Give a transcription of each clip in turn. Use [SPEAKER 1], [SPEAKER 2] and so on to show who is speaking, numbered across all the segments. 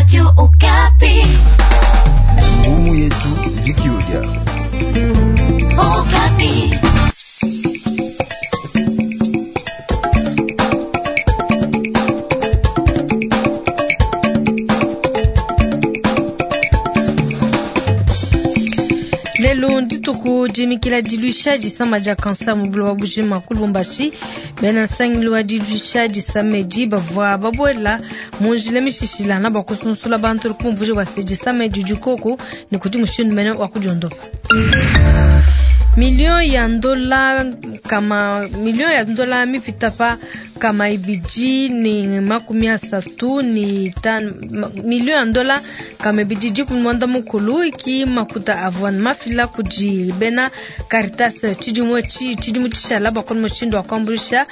[SPEAKER 1] Radio Okapi.
[SPEAKER 2] Ngumu yetu Vikiodia.
[SPEAKER 1] Okapi.
[SPEAKER 3] Lelo ndituku dimikila diluisha disama dia kansa mu buloba bujima ku Lubumbashi. Bena nsangilu wa diluisha disama edi bavua babuela mu njila mishishilana bua kusunsula bantu kumvuija bua se disama edi dikoku ne kudi mushindu mene wa kudiondopa. Million ya ndola kama million ya ndola mipita pa kama ibidi ni 35 million ya ndola kama ibidi dikumi mwanda mukulu iki makuta avua mafila kudi bena Caritas tshidimu tshidimu tshishala bua kona mushindu wa kuambuluisha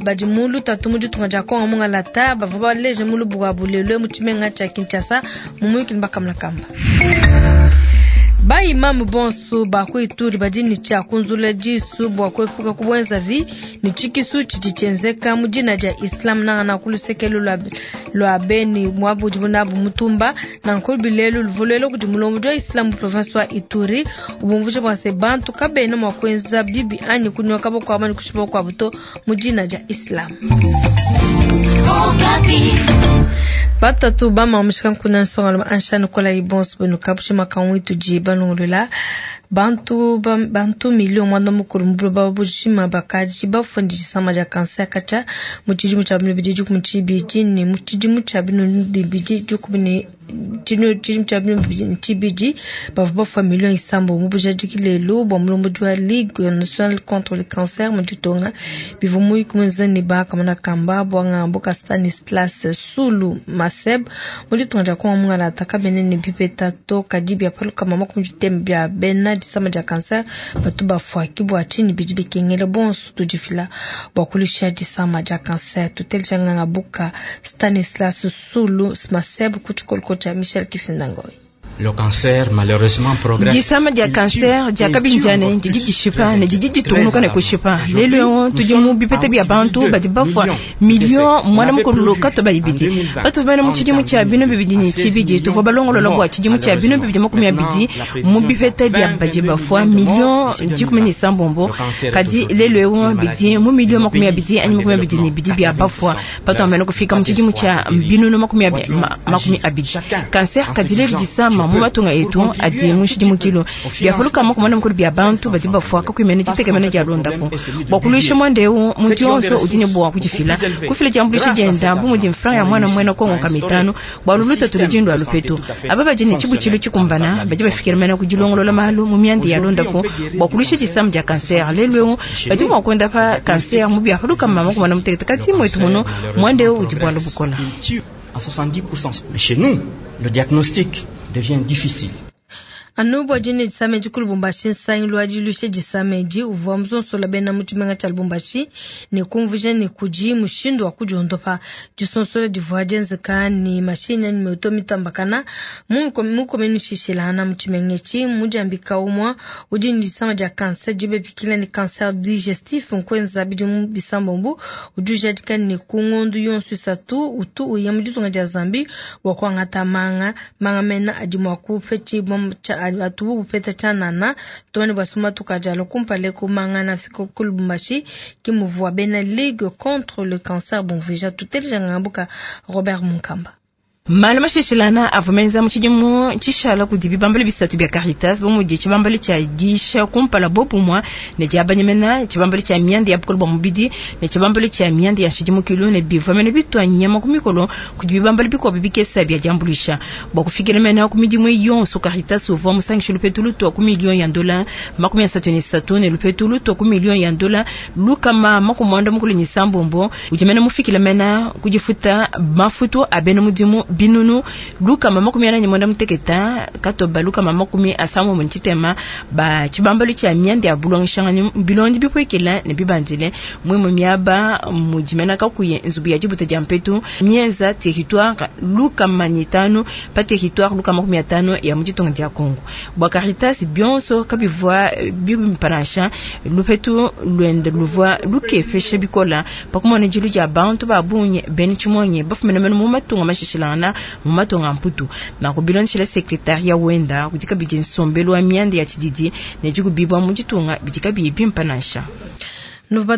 [SPEAKER 3] badi mu lutatu mu ditunga dia Kongo mungalata bavua baleje mu lubuku lua bulelwe mu tshimenga tshia Kinshasa mu muyuki ne bakamulakamba. Ba imamu bonso ba ku Ituri badi ne tshia kunzula disu bua kuepuka kubuenzavi ne tshikisu tshidi tshienzeka mu dina dia Islam nangana ku lusekelo lua Beni muabu udibu nabu mutumba. Nanku bilelu luvua kudi mulombodi wa Islam mu province wa Ituri ubumvuija bua se bantu kabena mua kuenza bibi anyi kunyoka bakuabu anyi kushipa bakuabu to mu dina dia Islam. Batatu bamamushika nkuna nsonga ansha nikola ibonso benu kabushima kamwitu ji balongolola bantu bantu million mwanda mukulu mu buloba bujima bakaji bafua disama dia kanser katshia mu tshidimu tshia 2012 ne mu tshidimu tshia 2022 bavua bafua million isambo mu bujadiki lelu bua mulombodi wa Ligue nationale contre le cancer mu ditunga bivua muyuki muenza ne bakamona kamba bua ngambu ka Stanislas Sulu Maseb mu ditunga dia Kongo mungalata kabene ne bipeta to kadi bia palukama makumi ditembe bia bena disama dia kanser batu bafua ki bua tshinyi bidi bikengela bonso tudifila bua kulusha disama dia kanser. Tutelijanganga buka Stanislas Sulu Maseb ku tshikoloko tshia Michel Kifindangoy.
[SPEAKER 4] Le cancer, malheureusement, progresse.
[SPEAKER 5] Disama dia kanser dia kabinjane didi dishipa ne didi ditungunuka ne kushipa. Lelu eu tudi mu bipeta bia bantu badi bafua million mwana mukulu katoba ibidi. Patuvua bena mu tshidimu tshia 2022 tuvua balongolola bua tshidimu tshia 2020 mu bipeta bia badi bafua million 16. Kadi lelu eu bidi mu million 20 anyi 22 bia bafua patuvua kufika mu tshidimu tshia 2020. Kanser kadi lelu disama mu matunga etu adi mu nshidimukilo biapuluka makumana mukulu bia bantu badi bafua kakuimene ditekemena dia londapo bua kuluisha muanda eu muntu yonso udi ne bua kudifila kufila diambuluisha dienda bu mudi mfranga ya mwana muena kongo ka mitano bua luluta tuludindu alupetu aba badi ne tshibutshilu tshikumbana badi bafikila mena kudilongolola malu mu mianda ya londapo bua kuluisha disamu dia kanser lelu eu badi mua kuondapa kanser mu biapuluka makumana mutekete kati mwetu muno muanda eu udi bualu bukola.
[SPEAKER 4] À 70%. Mais chez nous, le diagnostic devient difficile.
[SPEAKER 3] Anu bua dine disama edi ku Lubumbashi nsangilu wa diluisha disama edi uvua musonsola bena mu tshimenga tshia Lubumbashi ne kumvuija ne kudi mushindu wa kudiondopa. Disonsola divua dienzeka ne mashinyi anyi moto mitambakana mu komini shishilana mu tshimenga etshi mudiambika umua udi ne disama dia kanser dibepikila ne cancer digestif nkuenza bidimu bisambombo udi ujadika ne ku ngondu yonso isatu utu uya mu ditunga dia Zambie bua kuangata manga manga mena adi mua kupetshibua atubu bupeta tshianana tumane basuma tukajalo kumpale kumangana fiko ku Lubumbashi kimuvua bena Ligue contre le cancer bumvuija tutelijanga mbuka Robert Munkamba.
[SPEAKER 5] Malu mashishilana avua menza mu tshidimu tshishala kudi bibambalu bisatu bia Caritas bu mudi tshibambalu tshia disha kumpala bopumua ne diabanyemena, tshibambalu tshia mianda ya bukole bua mubidi ne tshibambalu tshia mianda ya nshidimukilu ne bivua mene bitua nyama ku mikolo kudi bibambalu bikuabu bikesa bia diambuluisha bua kufikila mene ku midimu yonso. Caritas uvua musangishe lupetu lutua ku million ya ndola 33 ne lupetu lutua ku million ya ndola 196 udi mene mufikila mene kudifuta mafutu a bena mudimu binunu 446 katoba 56 ba tshibambalu tshia mianda ya bulongeshangani bilondi bipuekela ne bibandile mwimwe miaba mudimena kakuye nzubu ya dibuta dia mpetu mienza territoire 500 pa territoire 50 ya muditonga dia Kongo. Bua Caritas bionso kabivua bimpanasha lupetu luende luvua lukefeshe bikola pakumona dilu dia bantu ba bunye bene tshimonye bafumene mene mu matunga mashishilangana. dishilangana mu matunga a Mputu. Nanku bilondeshile sekretaria wenda kudi kabidi nsombelu wa mianda ya tshididi ne dikubibua mu ditunga bidi kabiyi bimpe nansha.
[SPEAKER 3] Nuvua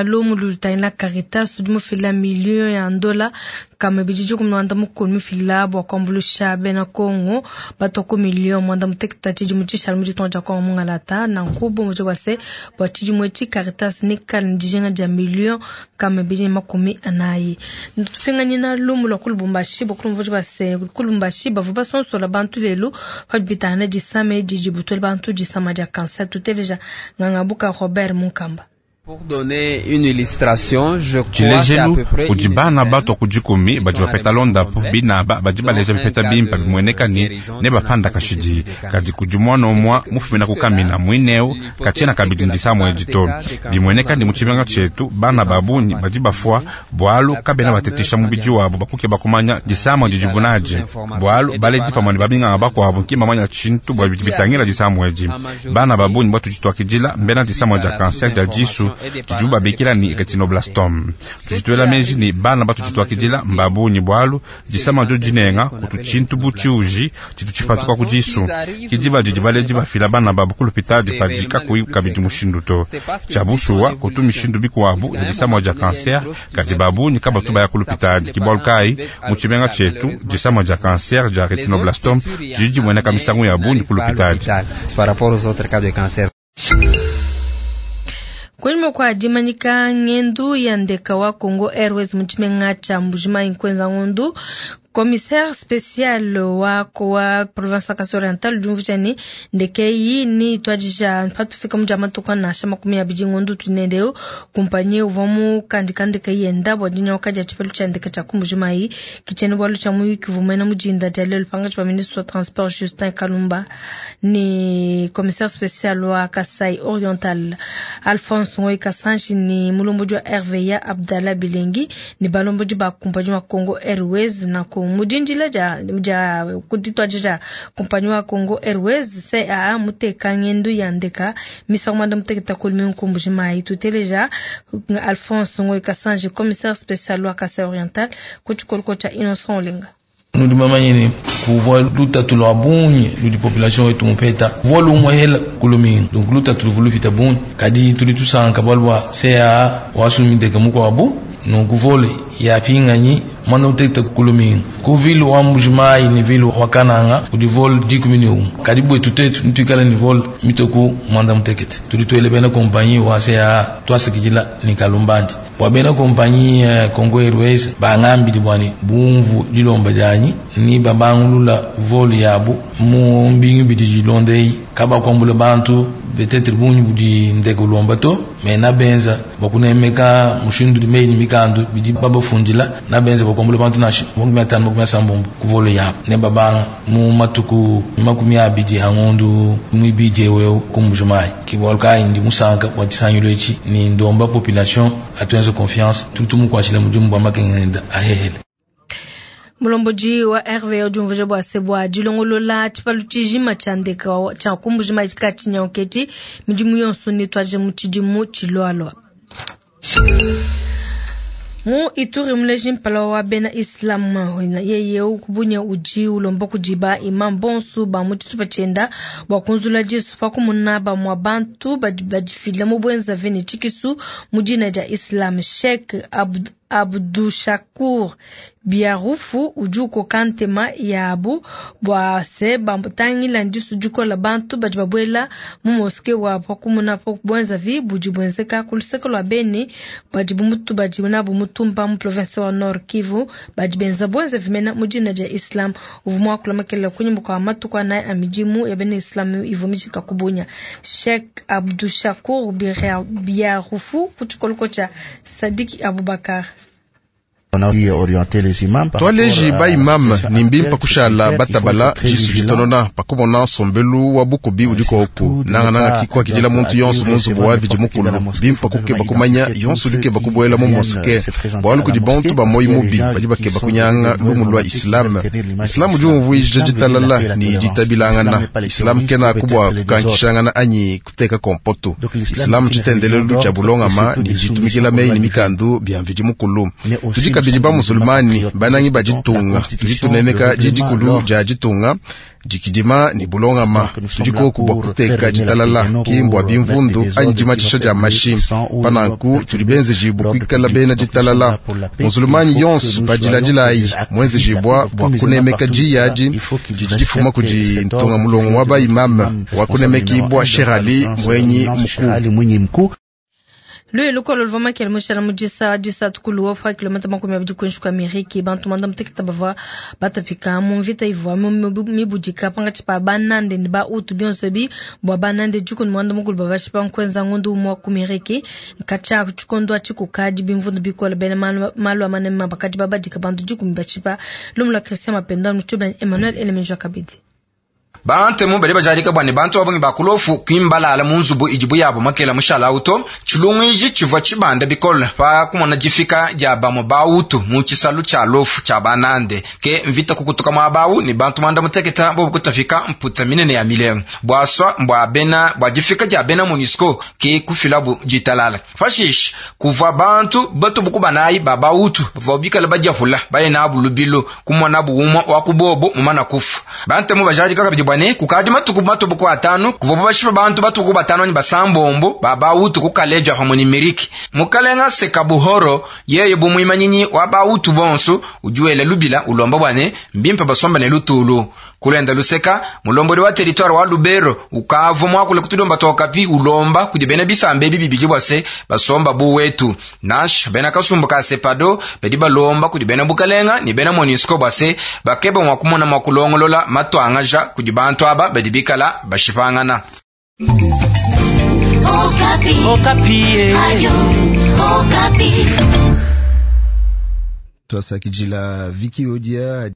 [SPEAKER 3] lumu lutangila Caritas udi mufila miliyo ya ndola kama bidi 14 mifila bua kuambuluisha bena Kongo batua ku miliyo 36 tshidimu tshishale mu ditunga dia Kongo mungalata. Nanku bumvuija bua se bua tshidimu etshi Caritas nikale ne dijinga dia miliyo kama 240. Tupinganyina lumu lua ku Lubumbashi bua kulumvuija bua se ku Lubumbashi bavua basonsola bantu lelu padi bitangila disama edi dibutula bantu disama dia kanser. Tuteleja Ngangabuka Robert Munkamba.
[SPEAKER 1] Pour donner une illustration, je crois
[SPEAKER 6] Tshilejelu kudi bana batua ku dikumi badi bapeta londapu binaba badi baleja bipeta bimpe bimueneka ne nebapanda kashidi. Kadi kudi mwana umua mufumina ku kamina muineu katshiena kabidi ndisama edi to. Bimueneka ne mu tshimenga tshietu bana ba bungi badi bafua bualu kabena batetesha mubidi wabo bakukeba kumanya disama didibu nadi, bualu baledi pamue ne babinganga bakuabu ki mbamanya tshintu bua bidi bitangila disama edi. Bana ba bungi batudi tuakidila mbena disama dia kanser dia disu didibu babikila ni retinoblastome. Tudi tuela meji ni bana batudi tuakidila mbabunyi bualu disama dio dinenga kutu tshintu bu tshiuji tshitu tshipatuka ku disu. Kidiba didi baledi bafila bana babu ku lupitadi padi kakuyi kabidi mushindu to. Tshia bushuwa kutu mishindu bikuabu ya disama dia kanser kadi babunyi kabatu baya ku lupitadi. Ke bualu kayi mu tshimenga tshietu disama dia kanser dia retinoblastome didi dimueneka misangu ya bungi ku lupitadi.
[SPEAKER 1] Par rapport aux autres cas de cancer.
[SPEAKER 3] Kunyima kua dimanyika ngendu ya ndeka wa Congo Airways mu tshimenga tshia Mbujimayi nkuenza ngondu, commissaire spécial wa wa province ya Kasai Oriental udi umvuija ne ndeke eyi ni ituadija patufika mu dia matuku nansha 20 ngondu tunendeu. Kumpanyi uvua mukandika ndeke yenda bua dinyoka dia tshipelu tshia ndeke tshia ku Mbujimayi. Kitshiena bualu tshia muyuki uvua muena mudinda dia lelu pangatshi pa ministre wa transport Justin Kalumba ne commissaire spécial wa Kasai Oriental Alphonse Ngoyi Kasanji ni mulombodi wa RVA Abdallah Bilengi ni balombodi ba kumpanyi wa Congo Airways na ko mudindila dia kuditwadija kumpanyi wa Congo Airways CAA muteka ngendu ya ndeka misangu mwanda muteketa kulimi ku Mbujimayi. Tuteleja Alphonse Ngoyi Kasanji commissaire spécial wa Kasai Oriental ku tshikoloko tshia Innocent Olenga.
[SPEAKER 7] Nudi bamanye ne kuvua lutatu lua bungi ludi population wetu mupeta vua lumue hela kulumingu, donc lutatu luvua lupita bungi, kadi tudi tusanka bualu bua CAA wasumideke mukuabu nunku vole yapinganyi mwana uteketa kulumingu ku ville wa Mbujimayi ne ville wa Kananga kudi vol 11 kadi bwetu tetu nituikala ni vol mitoku mwanda mutekete. Tudi tuele bena kompanyi wa CAA twasakidila ni kalumbandi bua bena kompanyi Congo Airways bangambidi bwani bumvu dilomba dianyi ni babangulula vol yabu mu mbingu bidi dilondei kabakuambula bantu peut-être bungi budi ndeke ulomba to me nabenza bakunemeka mushindu meyi ni mikandu bidi babafundila nabenza bakuambula bantu nashi 50 ku volo yabu ne babanga mu matuku 20 a ngondu mwibidi ewewu ku Mbujimayi. Ke bualu kayi ndi musanka bua tshisangilo etshi ni ndomba population atuenze confiance tudi tumukuatshila mudimu bua makenga ahehele.
[SPEAKER 3] Mulombodi wa RVA udi umvuija bua se bua dilongolola tshipalu tshijima tshia ndeka tshia ku Mbujimayi katshinyauketi midimu yonso nituadije mu tshidimu tshilualua. Mu Ituri muleji mpala wa bena Islam yeye kubunye udi ulomba kudi ba imam bonso ba mu tshitupa tshienda bua kunzula disu pa kumuna bamua bantu badi badifila mu bwenza vene tshikisu mu dina dia Islam. Sheikh Abdushakur Biarufu udi ukoka ntema yabu bua se bamutangila ndisu dikola bantu badi babuela mu moske wa pakumuna pa bwenza vi budi bwenzeka ku luseke lua Beni badi bumutu badi nabu mutumba mu province wa Nord Kivu badi benza bwenza vimena mu dina dia Islam. Uvua muakula kunyima kua matuku anayi a midimu ya bena Islam ivua mijika kubunya. Sheikh Abdushakur Biarufu ku tshikoloko tshia Sadiki Abubakar.
[SPEAKER 8] Twaleji ba imam ni mbimpa kushala batabala jisu jitonona pakumona nsombelu wa bukubi udiko oku nangananga kikwa kidila muntu yonso mu nzubu wa bidi mukulu bimpa kukeba kumanya yonso udikeba kubuela mu moske bualu kudi bantu ba moyi mubi badi bakeba kunyanga lumu lwa Islam. Islam udi umvuija ditalala ni ditabilangana. Islam kena kubwa kukankishangana anyi kuteka kompoto. Islam tshitendelelu tshia bulongama ni ditumikila meyi ni mikandu bia mvidi mukulu. Tudi kabidi ba musulmani banangi ba ditunga, tudi tunemeka diyi dikulu dia ditunga, dikidima ne bulongama. Tudi koku bua kuteka ditalala, ki mbua bimvundu anyi dimatshisha dia mashi. Pa nanku tudi benzejibue kuikala bena ditalala. Musulmani yonso padiladilayi muenzejibua bua kunemeka diyi adi didi difuma kudi ntunga mulongo wa ba imam wa kunemekibua Sheikh Ali Mwenyi Mkuu.
[SPEAKER 3] Luye lukolo luvua makele mushala mu disa disatu ku Luofa, kilomita 20 kuinshi kua Miriki. Bantu 11 bavua batapika mu mvita ivua mibudika pankatshi pa banande ne ba Hutu. Bionso ebi bua banande 18 bavashipa nkuenza ngondu umua ku Miriki. Katshia tshikondo atshi kukadi bimvundu bikole, bena malu a manema bakadi babadika bantu 10 bashipa. Lumu lua Christian Mapenda mu Emmanuel Elemeja kabidi.
[SPEAKER 9] Bantemu badi bajadika bua ne bantu ba bungi ba kulofu kimbalala mu nzubu idibu yabo makela mushala auto. Tshilungu tshivua tshibanda bikole pa kumona difika dia bamue ba Hutu mu tshisalu tshia lofu tshia banande. Ke mvita kukutuka muaba ne bantu 11 bobu kutafika mputa minene ya milengo. Buaswa mbua bena bua difika dia bena MONUSCO ke kufilabu ditalala. Pashishe kuvua bantu batubuku banayi ba ba Hutu bavua bikale badiapula baye nabu lubilu kumona bu umue wa kubobo mumana kufa. Bantemu bajadika kabidi bua ne kukadi matuku matubuku atanu kuvua bashipa bantu batuku batano anyi basambombo ba ba Hutu ku Kaleja pamue ne Miriki. Mukalenga Sekabuhoro yeye bu muimanyinyi wa ba Hutu bonso udi wela lubila ulomba bua ne mbimpe basomba ne lutulu. Kulenda luseka mulombodi wa territoire wa Lubero ukavua muakule kutulomba tokapi ulomba kudi bena bisamba ebi bibidi bua se basomba bu wetu. Nansha bena kasumbu ka Sepado badi balomba kudi bena bukalenga ne bena MONUSCO bua se bakeba mua kumona mua kulongolola matuangaja kudi bantu aba badi bikala bashipangana.
[SPEAKER 10] Okapi. Okapi. Radio Okapi.
[SPEAKER 2] Twasakidila Viki Odia.